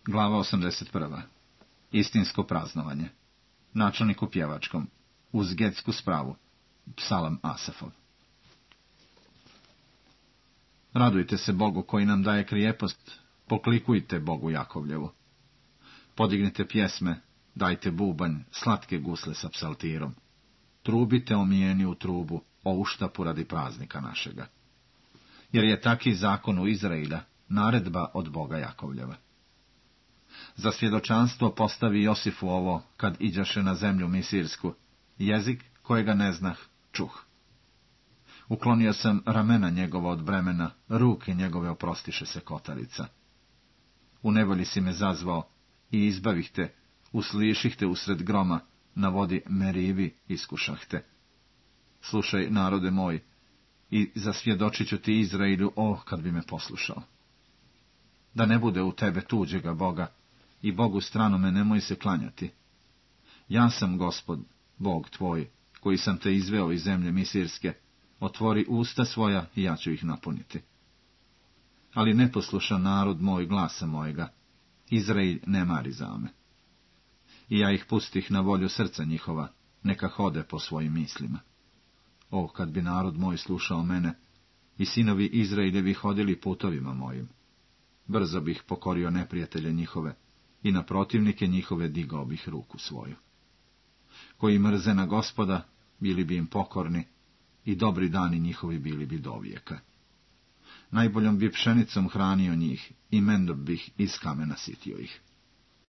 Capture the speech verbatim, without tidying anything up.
Glava osamdeset prva. Istinsko praznovanje. Načelnik u pjevačkom. Uz getsku spravu. Psalam Asafov. Radujte se Bogu koji nam daje krijepost, poklikujte Bogu Jakovljevu. Podignite pjesme, dajte bubanj, slatke gusle sa psaltirom. Trubite omijeni u trubu, o uštapu radi praznika našega. Jer je taki zakon u Izraila, naredba od Boga Jakovljeva. Za svjedočanstvo postavi Josifu ovo, kad iđaše na zemlju misirsku, jezik kojega ne znah, čuh. Uklonio sam ramena njegova od bremena, ruke njegove oprostiše se kotarica. U nevolji si me zazvao i izbavih te, usliših te usred groma, na vodi Merivi iskušah te. Slušaj, narode moj, i zasvjedočit ću ti Izraelu, o, kad bi me poslušao. Da ne bude u tebe tuđega Boga, i Bogu stranome nemoj se klanjati. Ja sam Gospod, Bog tvoj, koji sam te izveo iz zemlje misirske, otvori usta svoja i ja ću ih napuniti. Ali ne posluša narod moj glasa mojega, Izrael ne mari za me. I ja ih pustih na volju srca njihova, neka hode po svojim mislima. O, kad bi narod moj slušao mene, i sinovi Izraeljevi hodili putovima mojim, brzo bih pokorio neprijatelje njihove, i na protivnike njihove digao bih ruku svoju. Koji mrze na Gospoda, bili bi im pokorni, i dobri dani njihovi bili bi dovijeka. Najboljom bi pšenicom hranio njih, i mendom bih iz kamena sitio ih.